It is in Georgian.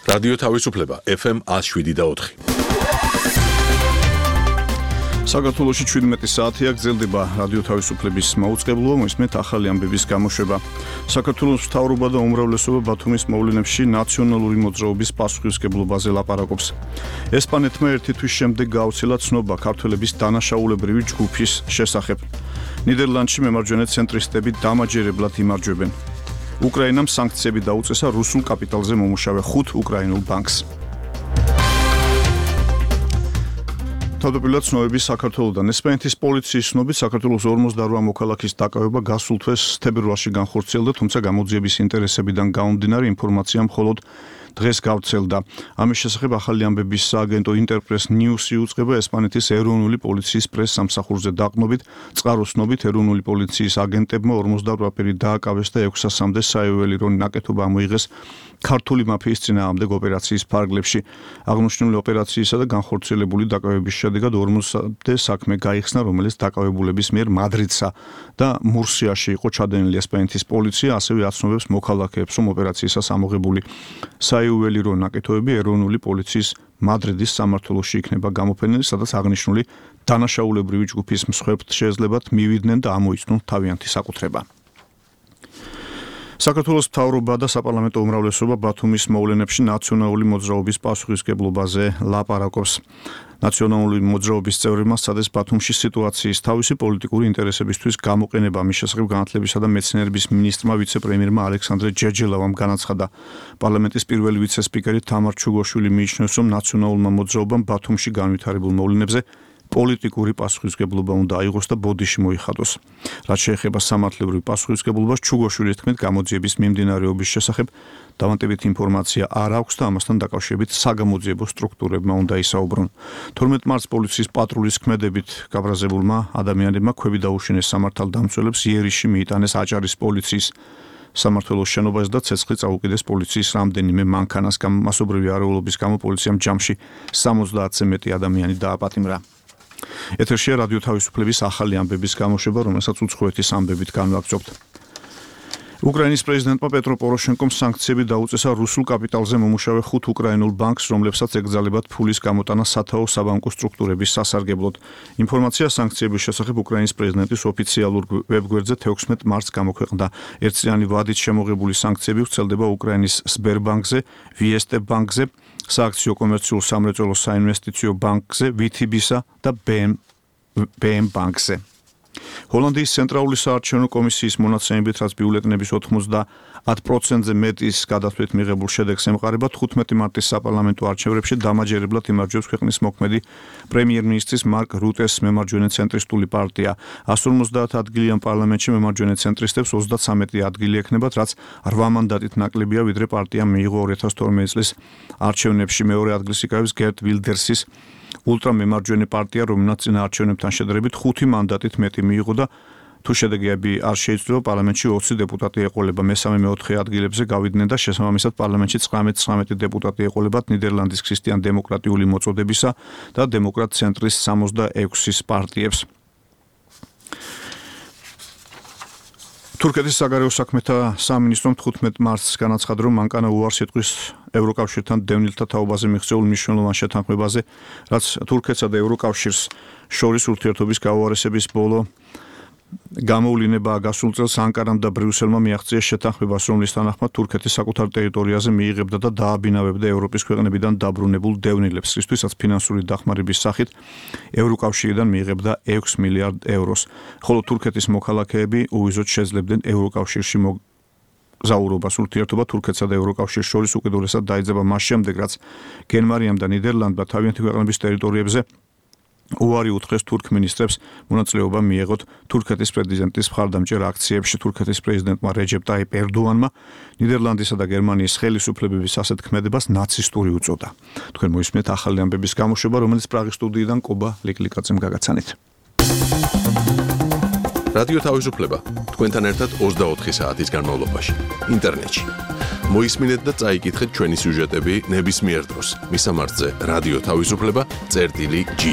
რადიო თავისუფლება FM 107.4. საქართველოში 17 საათია გრძელდება რადიო თავისუფლების მაუწყებლობა, მოისმენთ ახალი ამბების გამოშვება. საქართველოს მთავრობა და უმრავლესობა ბათუმის მოვლენებში ნაციონალური მოძრაობის პასუხისმგებლობაზე ლაპარაკობს. ესპანეთმა ერთი თვის შემდეგ გააუცილა ცნობა ქართველების დანაშაულებრივი ჯგუფის შესახებ. ნიდერლანდში მემარჯვენე ცენტრისტები დამაჯერებლად იმარჯვებენ. უკრაინამ სანქციები დაუწესა რუსულ კაპიტალზე მომუშავე 5 უკრაინულ ბანკს. თავდაპირველად ცნობები საქართველოდან. ესპანეთის პოლიციის ცნობით საქართველოს 48 მოქალაქის დაკავება გასულ თვეს თებერვალში განხორციელდა, თუმცა გამოძიების ინტერესებიდან გამომდინარე ინფორმაცია მხოლოდ დღეს გავრცელდა. ამის შესახებ ახალი ამბების სააგენტო ინტერპრეს ნიუსი უწყება ესპანეთის ეროვნული პოლიციის პრეს-სამსახურზე დაყრდნობით, წყაროს ცნობით ეროვნული პოლიციის აგენტებმა 48 პირი დააკავეს და 600-მდე საეველირო ნაკეთობა ამოიღეს ქართული მაფიის წინააღმდეგ ოპერაციის ფარგლებში. აღნიშნული ოპერაციისა და განხორციელებული დაკავების შედეგად 40-მდე საქმე გაიხსნა, რომელიც დაკავებულების მიერ მადრიდსა და მურსიაში იყო ჩადენილი. ესპანეთის პოლიცია ასევე აცნობებს მოქალაქეებს, რომ ოპერაციისას ამოღებული საიუველირო ნაკეთობები ეროვნული პოლიციის მადრიდის სამმართველოში იქნება გამოფენილი, სადაც აღნიშნული დანაშაულებრივი ჯგუფის მსხვერპლთ შეეძლებათ მივიდნენ და ამოიცნონ თავიანთი საკუთრება. საქართველოს მთავრობა და საპარლამენტო უმრავლესობა ბათუმის მოვლენებში ნაციონალური მოძრაობის პასუხისმგებლობაზე ლაპარაკობს. ნაციონალური მოძრაობის წევრებმა სცადეს ბათუმში სიტუაციის თავისი პოლიტიკური ინტერესებისთვის გამოყენება. ამის შესახებ განათლებისა და მეცნიერების მინისტრმა ვიცე-პრემიერმა ალექსანდრე ჯერჯელავამ განაცხადა. პარლამენტის პირველი ვიცე-სპიკერი თამარ ჩუგოშვილი მიიჩნევს, რომ ნაციონალურმა მოძრაობამ ბათუმში განვითარებულ მოვლენებზე პოლიტიკური პასუხისმგებლობა უნდა აიღოს და ბოდიში მოიხადოს. რაც შეეხება სამართლებრივ პასუხისმგებლობას, ჩუგოშვილის თქმით, გამოძიების მიმდინარეობის შესახებ დავანტებით ინფორმაცია არ აქვს და ამასთან დაკავშირებით საგამოძიებო სტრუქტურებმა უნდა ისაუბრონ. 12 მარტს პოლიციის პატრულის ქმედებით გაბრაზებულმა ადამიანებმა ქვევი დაუშინეს სამართალდამცველებს, იერიში მიიტანეს აჭარის პოლიციის სამმართველოს შენობას და ცეცხლი წაუკიდეს პოლიციის რამდენიმე მანქანას. მასობრივი არეულობის გამო პოლიციამ ჯამში 70-ზე მეტი ადამიანი დააპატიმრა. ეთერშია რადიო თავისუფლების ახალი ამბების გამოშვება, რომელსაც უცხოეთის ამბებით განვაგრძობთ. უკრაინის პრეზიდენტმა პეტრო პოროშენკომ სანქციები დაუწესა რუსულ კაპიტალზე მომუშავე 5 უკრაინულ ბანკს, რომლებსაც ეკრძალებათ ფულის გამოტანა სათაო საბანკო სტრუქტურების სასარგებლოდ. ინფორმაცია სანქციების შესახებ უკრაინის პრეზიდენტის ოფიციალურ ვებგვერდზე 16 მარტს გამოქვეყნდა. ერთწლიანი ვადით შემოღებული სანქციები ვრცელდება უკრაინის სბერბანკზე, ვიესტე ბანკზე, სააქციო კომერციულ სამრეწველო საინვესტიციო ბანკზე, VTB-სა და BM ბანკზე. ჰოლანდიის ცენტრალური საარჩევნო კომისიის მონაცემებით, რაც ბიულეტენების 90%-ზე მეტის გადათვლით მიღებულ შედეგს ემყარება, 15 მარტის საპარლამენტო არჩევნებში დამაჯერებლად იმარჯვებს ქვეყნის მოქმედი პრემიერ-მინისტრის მარკ რუტეს მემარჯვენე ცენტრისტული პარტია. 150 ადგილიან პარლამენტში მემარჯვენე ცენტრისტებს 33 ადგილი ექნებათ, რაც 8 მანდატით ნაკლებია, ვიდრე პარტიამ მიიღო 2012 წლის არჩევნებში. მეორე ადგილს იკავებს გერტ ვილდერსის ულტრამემარჯვენე პარტია, რომელსაც წინა არჩევნებთან შედარებით 5 მანდატით მეტი მიიღო და თუ შედეგები არ შეიცვლება, პარლამენტში 20 დეპუტატი ეყოლება. მესამე-მეოთხე ადგილებზე გავიდნენ და შესაბამისად პარლამენტში 19 დეპუტატი ეყოლებათ ნიდერლანდის ქრისტიან-დემოკრატიული მოწოდებისა და დემოკრატ-ცენტრის 66-ის პარტიებს. თურქეთის საგარეო საქმეთა სამინისტრომ 15 მარტს განაცხადა, რომ მანკანა უარს იტყვის ევროკავშირთან დევნილთა თაობაზე მიღწეულ მნიშვნელოვან შეთანხმებაზე, რაც თურქეთსა და ევროკავშირს შორის ურთიერთობის გაუარესების ბოლო გამოვლინებაა. გასულ წელს ანკარამ და ბრიუსელმა მიაღწიეს შეთანხმებას, რომლის თანახმად თურქეთი საკუთარ ტერიტორიაზე მიიღებდა და დააბინავებდა ევროპის ქვეყნებიდან დაბრუნებულ დევნილებს, რისთვისაც ფინანსური დახმარების სახით ევროკავშირიდან მიიღებდა 6 მილიარდ ევროს. ხოლო თურქეთის მოქალაქეები უვიზოდ შეძლებდნენ ევროკავშირში მოგზაურობას. ურთიერთობა თურქეთსა და ევროკავშირს შორის უკიდურესად დაიძაბა მას შემდეგ, რაც გერმანიამ და ნიდერლანდმა თავიანთი ქვეყნების ტერიტორიებზე უარი უთხრეს თურქ მინისტრებს მონაწილეობა მიეღოთ თურქეთის პრეზიდენტის მხარდამჭერ აქციებში. თურქეთის პრეზიდენტმა რეჯეპ ტაიპ ერდოანმა ნიდერლანდისა და გერმანიის ხელისუფლებების ასეთ ქმედებას ნაცისტური უწოდა. თქვენ მოისმენთ ახალი ამბების გამოშვება, რომელიც პრაღის სტუდიიდან კობა ლიკლიკაძემ გაგაცანით. რადიო თავისუფლება თქვენთან ერთად 24 საათის განმავლობაში ინტერნეტში. მოისმინეთ და წაიკითხეთ ჩვენი სიუჟეტები ნებისმიერ დროს. მისამართზე რადიო თავისუფლება წერტილი G.